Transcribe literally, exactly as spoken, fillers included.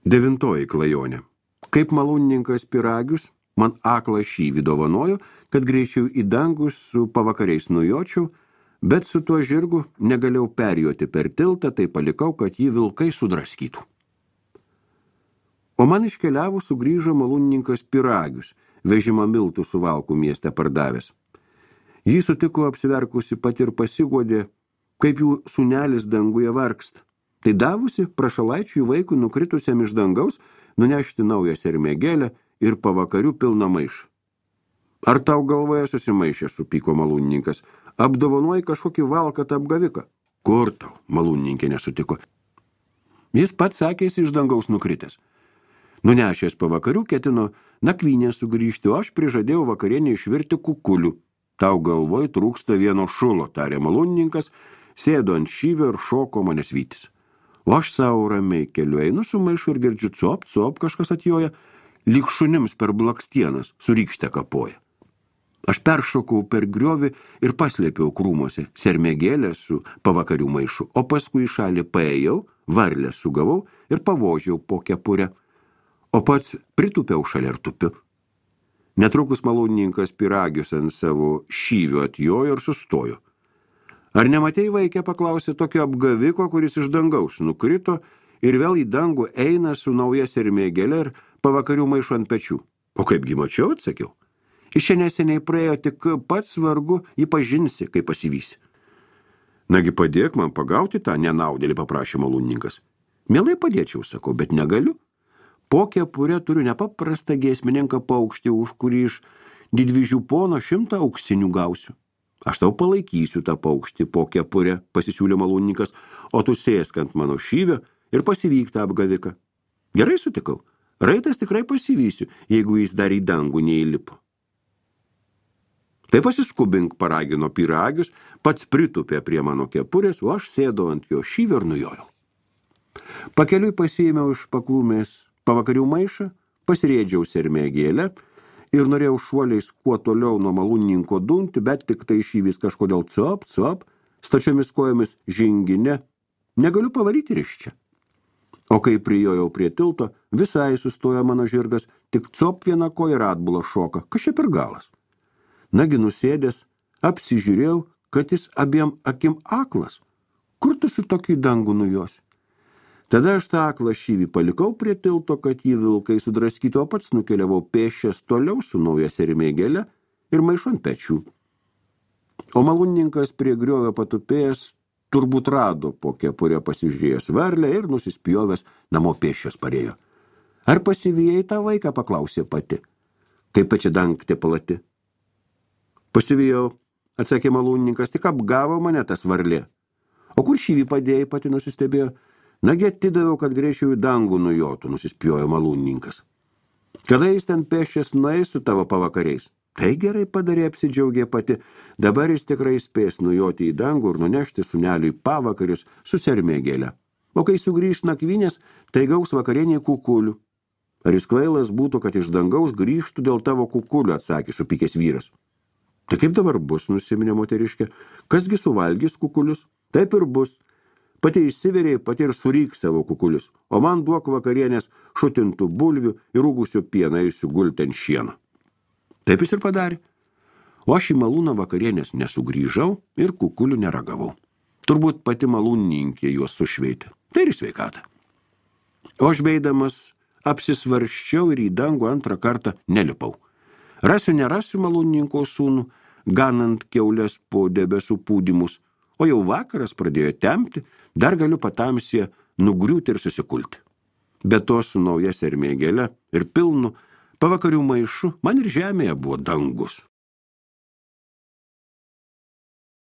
Devintoji klajonė. Kaip malūnininkas Pyragius man aklą šyvį dovanojo, kad greičiau į dangus su pavakariais nujočiau, bet su tuo žirgu negalėjau perjoti per tiltą, tai palikau, kad jį vilkai sudraskytų. O man iškeliavus sugrįžo malūnininkas Pyragius, vežimą miltų Suvalkų mieste pardavęs. Jį sutiko apsiverkusi pat ir pasiguodė, kaip jų sūnelis danguje vargsta. Tai davusi prašalaičiui vaikui nukritusiam iš dangaus nunešti naują sermėgėlę ir pavakarių pilną maišą. Ar tau galvoje susimaišė, supyko malūnininkas, apdovanoji kažkokį valkatą apgaviką? Kur tau, malūnininkė nesutiko. Jis pats sakėsi iš dangaus nukritęs. Nunešęs pavakarių ketino nakvynę sugrįžti, o aš prižadėjau vakarienį išvirti kukulių. Tau galvoj trūksta vieno šulo, tarė malūnininkas, sėdo ant šyvio ir šoko manęs vytis. O aš savo ramiai keliu einu su maišu ir girdžiu cop, cop, kažkas atjoja, lyg šunims per blakstienas, surykštę kapoja. Aš peršokau per griovį ir paslėpiau krūmuose sermėgėlę su pavakarių maišu, o paskui į šalį paėjau, varlę sugavau ir pavožiau po kepurę, o pats pritūpiau šalia ir tupiu. Netrukus malūnininkas Pyragius ant savo šyvio atjojo ir sustojo. Ar nematei, vaikė, paklausė tokio apgaviko, kuris iš dangaus nukrito ir vėl į dangų eina su nauja sermėgėle ir pavakarių maišu ant pečių? O kaipgi mačiau, atsakiau. Iš čia neseniai praėjo, tik pats vargu jį pažinsi, kai pasivysi. Nagi padėk man pagauti tą nenaudėlį, paprašė malūnininkas. Mielai padėčiau, sakau, bet negaliu. Po kepurę turiu nepaprastą giesmininką paukštį, už kurį iš didvyžių pono šimtą auksinių gausiu. Aš tau palaikysiu tą paukštį po kepurę, pasisiūlė malūnininkas, o tu sėsk ant mano šyvio ir pasivyk tą apgaviką. Gerai sutikau, raitas tikrai pasivysiu, jeigu jis dar į dangų neįlipo. Tai pasiskubink, paragino Pyragius, pats pritupė prie mano kepurės, o aš sėdau ant jo šyvio ir nujojau. Pakeliui pasiėmiau iš pakrūmės pavakarių maišą, pasirėdžiau sermėgėlę ir norėjau šuoliais kuo toliau nuo malūnininko dunti, bet tik tai šyvis kažkodėl cop, cop, stačiomis kojomis žingine, negaliu pavaryti ir iš čia. O kai prijojau prie tilto, visai sustojo mano žirgas, tik cop viena koja ir atbula šoka, kas čia per galas. Nagi nusėdęs, apsižiūrėjau, kad jis abiem akim aklas. Kur tu su tokį dangų nujosi? Tada aš tą aklą šyvį palikau prie tilto, kad jį vilkai sudraskytų, o pats nukeliavau pėsčias toliau su nauja sermėgėle ir maišu ant pečių. O malūnininkas prie griovio patupėjęs turbūt rado po kepurę pasižiūrėjęs varlę ir nusispjovęs namo pėsčias parėjo. Ar pasivijai tą vaiką, paklausė pati. Kaip pačia dangtė plati. Pasivijau, atsakė malūnininkas, tik apgavo mane tas varlė. O kur šyvį padėjai, pati nusistebėjo. Nagi atidaviau, kad greičiau į dangų nujotų, nusispjojo malūnininkas. Kada jis ten pėsčias nueis su tavo pavakariais? Tai gerai padarė, apsidžiaugė pati. Dabar jis tikrai spės nujoti į dangų ir nunešti sūneliui pavakarius su sermėgėle. O kai sugrįž nakvynės, tai gaus vakarienį kukulių. Ar jis kvailas būtų, kad iš dangaus grįžtų dėl tavo kukulių, atsakė supykęs vyras. Tai kaip dabar bus, nusiminė moteriškė, kasgi suvalgys kukulius? Taip ir bus. Pati išsiverė, pati ir suryk savo kukulius, o man duok vakarienės šutintų bulvių ir rūgusių pieną ir sugulti ant šieno. Taip jis ir padarė. O aš į malūną vakarienės nesugrįžau ir kukulių neragavau. Turbūt pati malūnininkė juos sušveitė. Tai ir sveikata. O aš beidamas apsisvarščiau ir į dangų antrą kartą nelipau. Rasiu, nerasiu malūnininko sūnų, ganant kiaulės po debesų pūdymus, o jau vakaras pradėjo tempti, dar galiu patamsyje nugriūti ir susikulti. Be to su nauja sermėgėle ir pilnu pavakarių maišu man ir žemėje buvo dangus.